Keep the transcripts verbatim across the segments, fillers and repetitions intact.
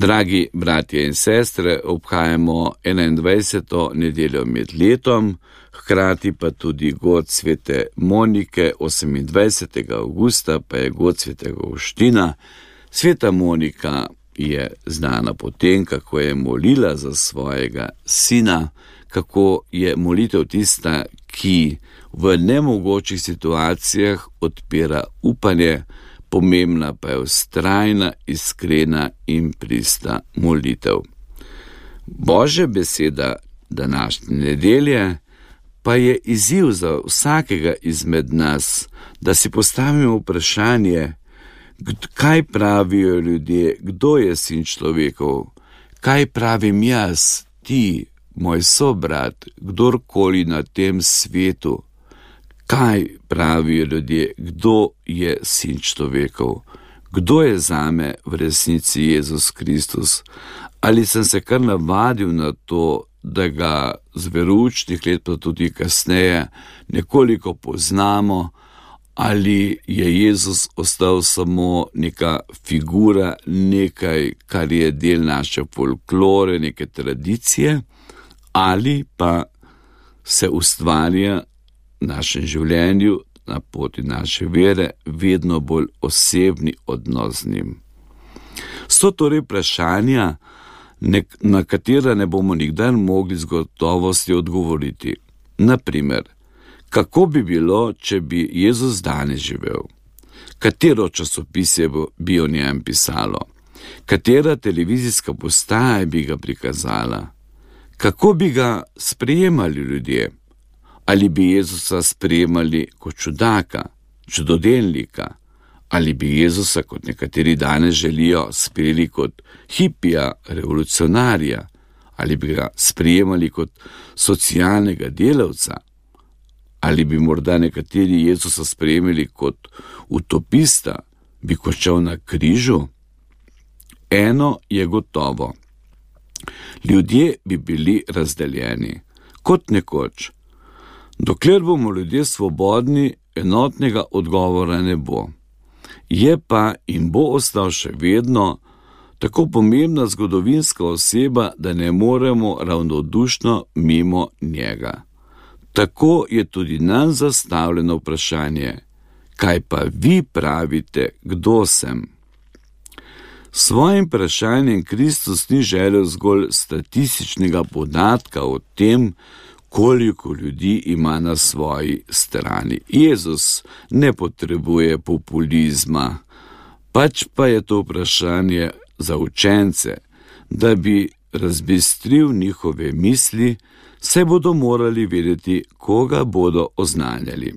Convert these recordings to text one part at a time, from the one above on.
Dragi bratje in sestre, obhajamo enaindvajseto nedeljo med letom, hkrati pa tudi god svete Monike, osemindvajsetega avgusta pa je god svetega Avguština. Sveta Monika je znana po tem, kako je molila za svojega sina, kako je molitev tista, ki v nemogočih situacijah odpira upanje, pomembna pa je vztrajna, iskrena in prista molitev. Božja beseda današnje nedelje pa je izziv za vsakega izmed nas, da si postavimo vprašanje, kaj pravijo ljudje, kdo je sin človekov, kaj pravim jaz, ti, moj sobrat, kdorkoli na tem svetu. Kaj pravijo ljudje, kdo je sin človekov, kdo je zame v resnici Jezus Kristus? Ali sem se kar navadil na to, da ga z veroučnih let pa tudi kasneje nekoliko poznamo, ali je Jezus ostal samo neka figura, nekaj, kar je del naše folklore, neke tradicije, ali pa se ustvarja v našem življenju, na poti naše vere, vedno bolj osebni odnos z njim. So torej vprašanja, na katera ne bomo nikdar mogli z gotovostjo odgovoriti. Naprimer, kako bi bilo, če bi Jezus danes živel? Katero časopisje bi o njem pisalo? Katera televizijska postaja bi ga prikazala? Kako bi ga sprejemali ljudje? Ali bi Jezusa sprejemali kot čudaka, čudodelnika? Ali bi Jezusa, kot nekateri danes želijo, sprejeli kot hipija, revolucionarja? Ali bi ga sprejemali kot socialnega delavca? Ali bi morda nekateri Jezusa sprejemali kot utopista, bi končal na križu? Eno je gotovo. Ljudje bi bili razdeljeni, kot nekoč. Dokler bomo ljudje svobodni, enotnega odgovora ne bo. Je pa in bo ostal še vedno tako pomembna zgodovinska oseba, da ne moremo ravnodušno mimo njega. Tako je tudi nam zastavljeno vprašanje, kaj pa vi pravite, kdo sem? S svojim vprašanjem Kristus ni želel zgolj statističnega podatka o tem, koliko ljudi ima na svoji strani. Jezus ne potrebuje populizma, pač pa je to vprašanje za učence, da bi razbistril njihove misli, saj bodo morali vedeti, koga bodo oznanjali.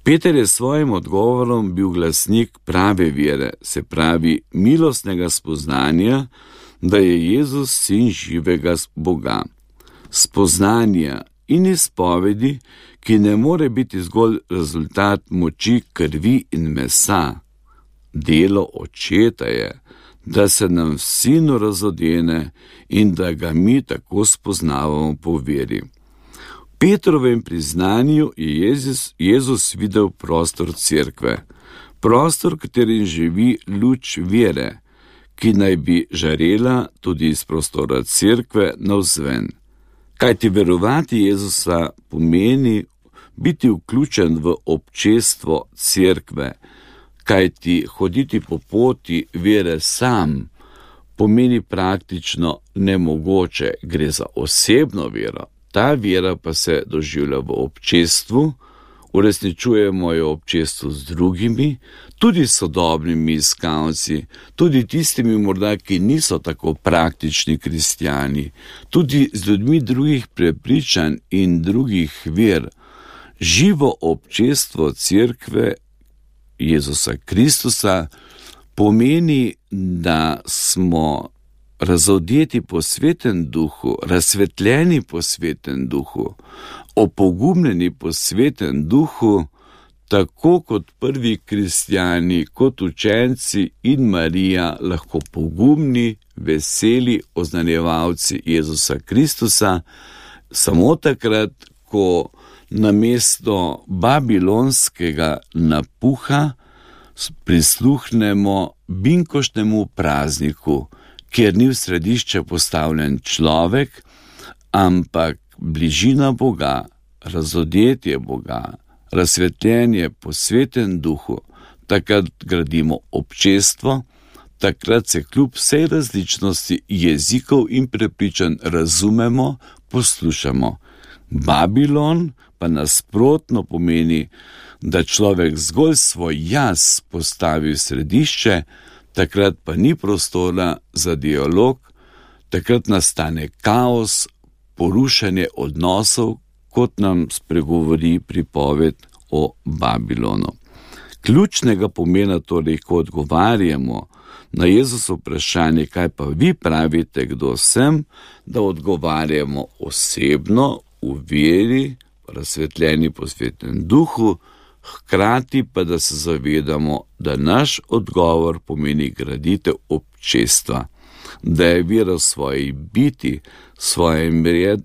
Peter je s svojim odgovorom bil glasnik prave vere, se pravi milostnega spoznanja, da je Jezus sin živega Boga. Spoznanja in izpovedi, ki ne more biti zgolj rezultat moči krvi in mesa. Delo Očeta je, da se nam v Sinu razodene in da ga mi tako spoznavamo po veri. V Petrovem priznanju je Jezus, Jezus videl prostor cerkve, prostor, v katerim živi luč vere, ki naj bi žarela tudi iz prostora cerkve navzven. Kajti verovati Jezusa pomeni biti vključen v občestvo cerkve, kajti hoditi po poti vere sam pomeni praktično nemogoče, gre za osebno vero. Ta vera pa se doživlja v občestvu, uresničujemo jo v občestvu z drugimi, tudi sodobnimi iskalci, tudi tistimi morda, ki niso tako praktični kristjani, tudi z ljudmi drugih prepričanj in drugih ver. Živo občestvo cerkve Jezusa Kristusa pomeni, da smo razodeti po Svetem Duhu, razsvetljeni po Svetem Duhu, opogumljeni po Svetem Duhu, tako kot prvi kristjani, kot učenci in Marija lahko pogumni, veseli oznanjevalci Jezusa Kristusa, samo takrat, ko namesto babilonskega napuha prisluhnemo binkoštnemu prazniku, kjer ni v središče postavljen človek, ampak bližina Boga, razodetje Boga, razsvetljenje po Svetem Duhu, takrat gradimo občestvo, takrat se kljub vsej različnosti jezikov in prepričanj razumemo, poslušamo. Babilon pa nasprotno pomeni, da človek zgolj svoj jaz postavi v središče, takrat pa ni prostora za dialog, takrat nastane kaos, porušanje odnosov, kot nam spregovori pripoved o Babilonu. Ključnega pomena torej, ko odgovarjamo na Jezusovo vprašanje, kaj pa vi pravite, kdo sem, da odgovarjamo osebno, v veri, razsvetljeni po Svetem Duhu, hkrati pa da se zavedamo, da naš odgovor pomeni graditev občestva, da je vera v svoji biti, svojem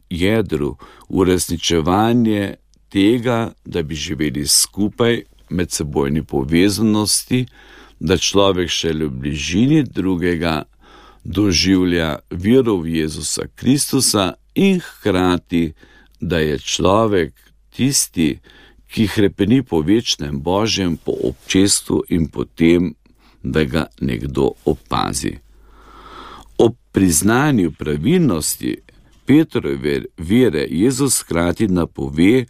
jedru, uresničevanje tega, da bi živeli skupaj, medsebojni povezanosti, da človek šele v bližini drugega doživlja vero v Jezusa Kristusa in hkrati, da je človek tisti, ki hrepeni po večnem Božjem, po občestvu in po tem, da ga nekdo opazi. Ob priznanju pravilnosti Petrove vere Jezus hkrati napove,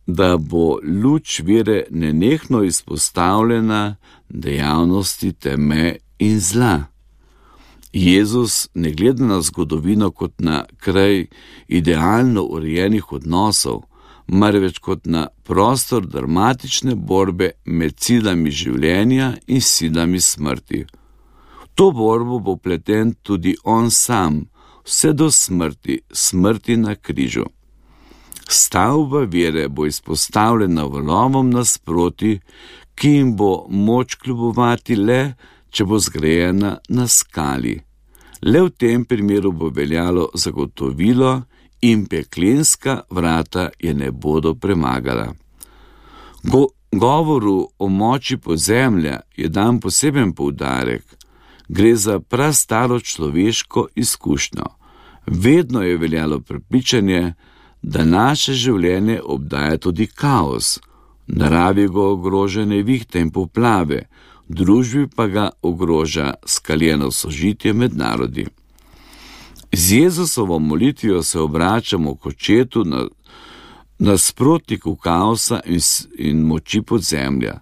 da bo luč vere nenehno izpostavljena dejavnosti teme in zla. Jezus ne gleda na zgodovino kot na kraj idealno urejenih odnosov, marveč kot na prostor dramatične borbe med silami življenja in silami smrti. V to borbo bo pleten tudi on sam, vse do smrti, smrti na križu. Stavba vere bo izpostavljena valovom nasproti, ki jim bo moč kljubovati le, če bo zgrajena na skali. Le v tem primeru bo veljalo zagotovilo in peklenska vrata je ne bodo premagala. Go, govoru o moči podzemlja je dan poseben poudarek. Gre za prastaro človeško izkušnjo. Vedno je veljalo prepričanje, da naše življenje obdaja tudi kaos. V naravi ga ogroža nevihte in poplave, v družbi pa ga ogroža skaljeno sožitje med narodi. Z Jezusovo molitvijo se obračamo k očetu na nasprotniku kaosa in, in moči podzemlja.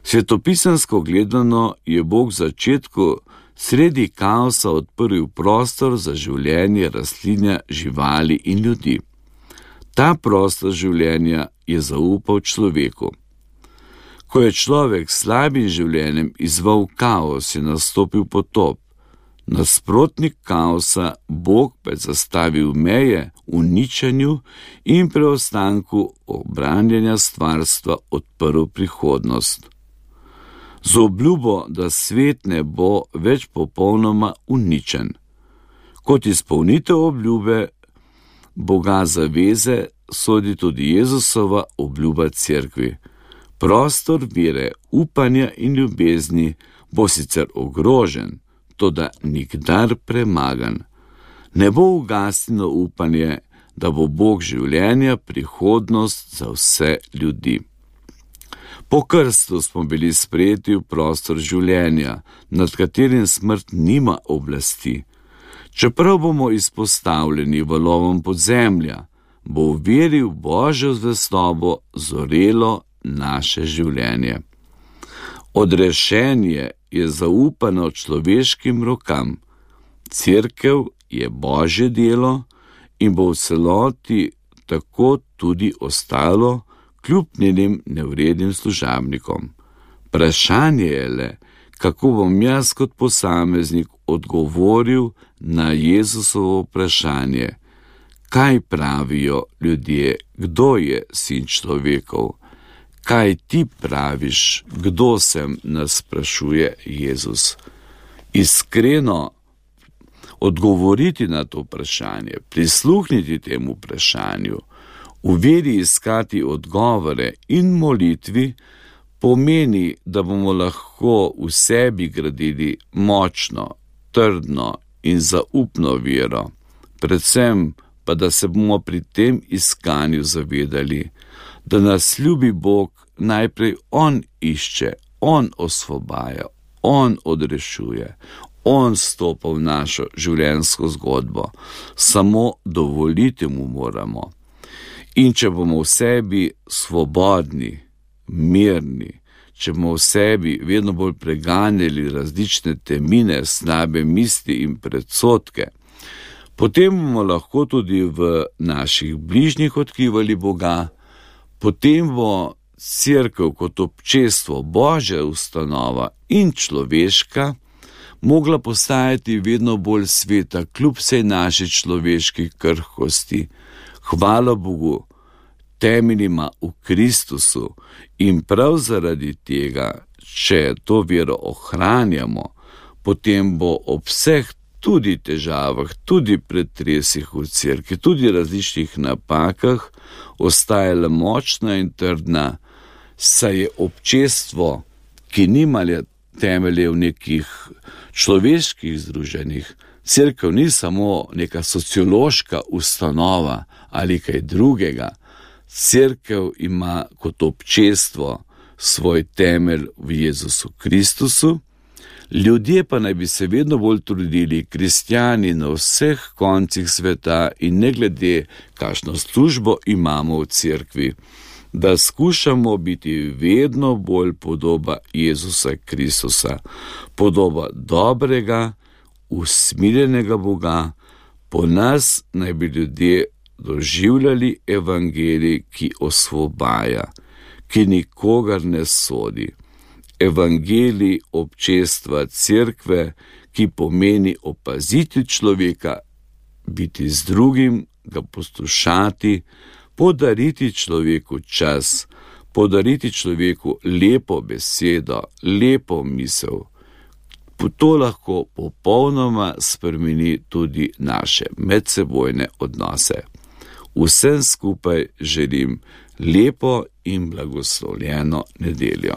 Svetopisansko gledano je Bog v začetku sredi kaosa odprl prostor za življenje rastlinja, živali in ljudi. Ta prostor življenja je zaupal človeku. Ko je človek s slabim življenjem izzval kaos, je nastopil potop. Nasprotnik kaosa, Bog pa je zastavil meje uničenju in preostanku obranjanja stvarstva odprl prihodnost. Z obljubo, da svet ne bo več popolnoma uničen. Kot izpolnitev obljube Boga zaveze sodi tudi Jezusova obljuba cerkvi. Prostor vere, upanja in ljubezni bo sicer ogrožen, toda nikdar premagan. Ne bo ugasnilo upanje, da bo Bog življenja prihodnost za vse ljudi. Po krstu smo bili sprejeti v prostor življenja, nad katerim smrt nima oblasti. Čeprav bomo izpostavljeni valovom podzemlja, bo v veri v Božjo zvestobo zorelo naše življenje. Odrešenje je zaupano človeškim rokam. Cerkev je Božje delo in bo v celoti tako tudi ostalo, kljub njenim nevrednim služabnikom. Vprašanje je le, kako bom jaz kot posameznik odgovoril na Jezusovo vprašanje, kaj pravijo ljudje, kdo je sin človekov, kaj ti praviš, kdo sem, nas sprašuje Jezus. Iskreno odgovoriti na to vprašanje, prisluhniti temu vprašanju, v veri iskati odgovore in molitvi pomeni, da bomo lahko v sebi gradili močno, trdno in zaupno vero, predvsem pa da se bomo pri tem iskanju zavedali, da nas ljubi Bog najprej On išče, On osvobaja, On odrešuje, On stopa v našo življenjsko zgodbo, samo dovoliti mu moramo. In če bomo v sebi svobodni, mirni, če bomo v sebi vedno bolj preganjali različne temine, slabe misli in predsodke, potem bomo lahko tudi v naših bližnjih odkrivali Boga, potem bo Cerkev kot občestvo, Božja ustanova in človeška mogla postajati vedno bolj sveta, kljub vsej naši človeški krhkosti. Hvala Bogu, temeljima v Kristusu, in prav zaradi tega, če to vero ohranjamo, potem bo ob vseh tudi težavah, tudi pretresih v cerkvi, tudi različnih napakah ostajala močna in trdna, saj je občestvo, ki nima temelje v nekih človeških združenjih. Cerkev ni samo neka sociološka ustanova ali kaj drugega. Cerkev ima kot občestvo svoj temelj v Jezusu Kristusu, ljudje pa naj bi se vedno bolj trudili, kristjani na vseh koncih sveta in ne glede, kakšno službo imamo v cerkvi, da skušamo biti vedno bolj podoba Jezusa Kristusa, podoba dobrega, usmiljenega Boga. Po nas naj bi ljudje doživljali evangelij, ki osvobaja, ki nikogar ne sodi. Evangelij občestva cerkve, ki pomeni opaziti človeka, biti z drugim, ga poslušati, podariti človeku čas, podariti človeku lepo besedo, lepo misel. To lahko popolnoma spremeni tudi naše medsebojne odnose. Vsem skupaj želim lepo in blagoslovljeno nedeljo.